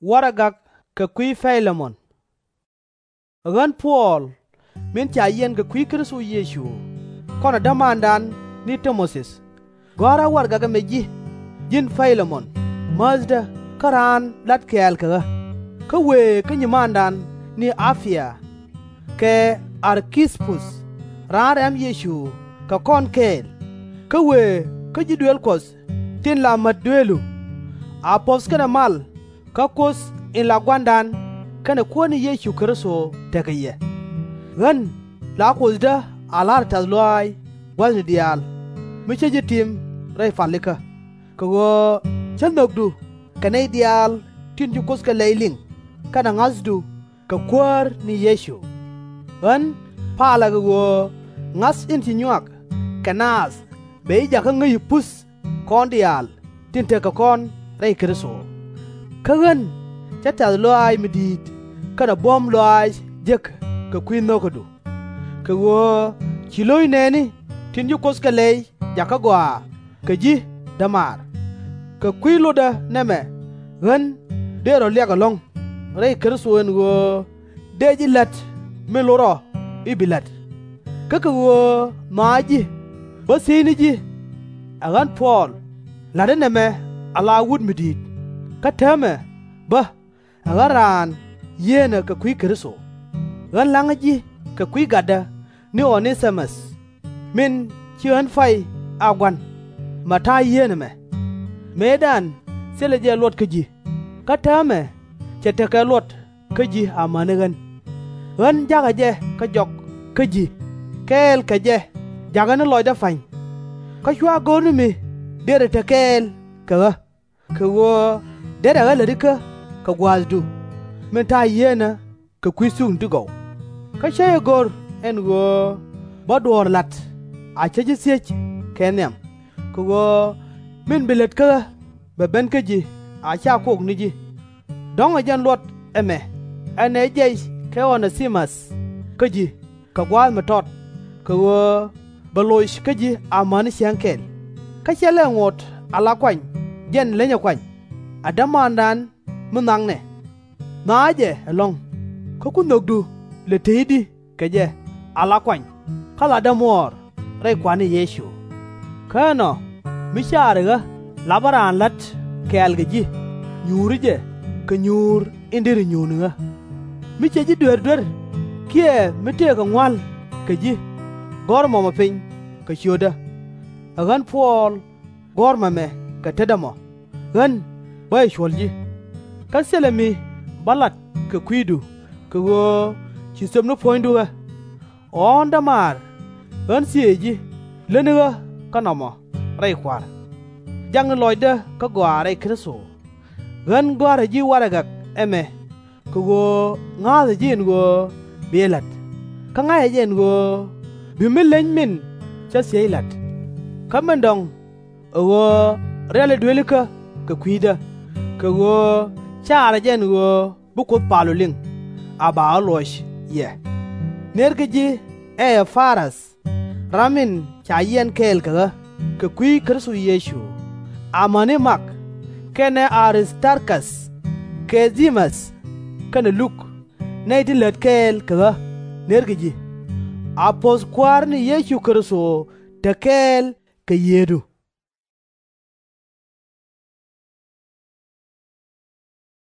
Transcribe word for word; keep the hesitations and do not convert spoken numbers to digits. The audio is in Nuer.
Warɛgak kɛ kui̱ Pay-lɛ-mɔn. Ɛ ɣän Puɔl, min ca yiɛn kɛ kui̱ Kritho Yecu, kɔnɛ dämandan ni Ti-mo-thi, gɔ̱a̱rä warɛgak ɛmɛ ji̱, ji̱n Pay-lɛ-mɔn, määthdä kä raan lat kɛ̈ɛ̈l kɛ ɣä, kä wëë kä nyimandan ni A-pi-a, kɛ Ar-ki-pus, raan rɛm Yecu kɛ kɔn kɛɛl, kä wëë kä ji̱ duëël Kuɔth tin la mät dueelu. A puɔ̱th kɛnɛ mal kä Kuoth in la Gua̱a̱ra kɛnɛ Kuäär ni Yecu Kritho tekɛ yɛ. Ɣän la Kuothdä a la̱rä tɛ̈th lɔaac gua̱thni diaal, mi cä ji̱ tim rɛy palikä, kɛ ɣöö cä nhökdu kɛ nɛy diaal tin ci Kuoth kɛ lɛy liŋ kɛnɛ ŋa̱thdu kɛ Kuäär ni Yecu. Ɣän palä kɛ ɣöö ŋa̱th in ci nyuak kɛ naath bɛ ji̱ jakä ŋäci puth kɔn diaal tin tekɛ kɔn rɛy Kritho. Kä ɣän cä tɛ̈th lɔaac mi di̱i̱t kɛnɛ buɔ̱m lɔaac jek kɛ kui̱ nho̱kädu, kɛ ɣöö ci lo̱c nɛɛni tin ci Kuoth kɛ lɛy jakä gɔaa kɛ ji̱ dämaar. Kɛ kui̱ lotdä nɛmɛ ɣän dee rɔ liak ɛlɔ̱ŋ rɛy Kritho ɛn ɣöö dëë ji̱ la̱t min lot rɔ i̱ bi la̱t. Kä kɛ ɣöö nhɔakä ji̱ bä thiecni ji̱, ɛ ɣän Puɔl, la̱tdä nɛmɛ ala wut mi di̱i̱t, kä täämɛ bä ɛ ɣän raan yieenä kɛ kui̱ Kritho. Ɣän la̱ŋä ji̱ kɛ kui̱ gatdä ni O-nɛ-ti-mɔth, min ci ɣän pay a gua̱n, mɛ ta̱a̱ yieenä mɛ. Mëëdan thilɛ jɛ luɔt kä ji̱, kä täämɛ cɛ tekɛ luɔt kä ji̱ amäni ɣän. Ɣän ja̱kä jɛ kä jɔk kä ji̱, kɛɛl kɛ jɛ jakä ni lɔcdä pa̱ny. Kä /cua go̱r ni mi derɛ te kɛɛl kɛ ɣä, kɛ ɣöö derɛ ɣä lätikä kɛ gua̱a̱thdu, min ta̱a̱ yieenä kɛ kui̱ thukni ti gɔw. Kä /cä jɛ go̱r ɛn ɣöö bä duɔ̱ɔ̱r la̱t a cä ji̱ thiec kɛ nhiam, kɛ ɣöö min bi lät kä ɣä bɛ ben kä ji̱ a /ca kok ni ji̱. Dɔ̱ŋ ɛ jɛn luɔt ɛmɛ, ɛn ɛ jɛc kɛ O-nɛ-ti-mɔth kä ji̱ kɛ gua̱a̱th mi tɔt, kɛ ɣöö bɛ loc kä ji̱ amäni ciaŋ kɛl. Kä /cɛ lɛ ŋot ala kuany jɛn lenyɛ kuany, a dämandan mi nhɔaknɛ. Nhɔakä jɛ ɛlɔ̱ŋ, kä ku nhökdu lɛ tëëcdi kɛ jɛ ala kuany kä latdä muɔɔr rɛy Kua̱r ni Yecu. Kä ɛnɔ, mi caari ɣä lapä raan la̱t kɛ̈ɛ̈l kɛ ji̱, nyuuri jɛ kɛ nyuur in deri nyuuni ɣä. Mi cɛ ji̱ duer duer kiɛ mi tëëkɛ ŋua̱l kɛ ji̱, gɔ̱r mɔmɔ piny kɛ ciötdä. Ɛ ɣän Puɔl gɔ̱r mɔmɛ kɛ tetdä mɔ, ɣän bä jɛ cuɔ̱l ji̱. Kä thilɛ mi bä lat kɛ kui̱du kɛ ɣöö ci thöpni puɔ̱nydu ɣä. Ɣɔ̱ɔ̱n dämaar, ɣän thieeci ji̱ lätni ɣä kä nɔmɔ rɛy Kua̱r. Jakni lɔcdä kä gɔaa rɛy Kritho. Ɣän gɔ̱a̱rä ji̱ warɛgak ɛmɛ kɛ ɣöö ŋa̱a̱thä ji̱ ɛn ɣöö bi jɛ la̱t, kä ŋa̱cä jɛ ɛn ɣöö bi mi leny min cä thiec la̱t. Kä min dɔ̱ŋ, ɛ ɣöö riali duëëlikä kɛ kui̱dä, kɛ ɣöö caarä jɛ ɛn ɣöö bi Kuoth pal ɔ liŋ, a ba ɣä luɔc yɛ. Nërkɛ ji̱ Ɛ-pa-rath, ram in ca yiɛn kɛɛl kɛ ɣä kɛ kui̱ Kritho Yecu, amäni Mak, kɛnɛ A-ris-tar-ka̱th, kɛ Dɛ-mäth, kɛnɛ Luk, nɛy ti lät kɛɛl kɛ ɣä, nërkɛ ji̱. A puɔ̱th Kua̱r ni Yecu Kritho te kɛɛl kɛ yiëëdu.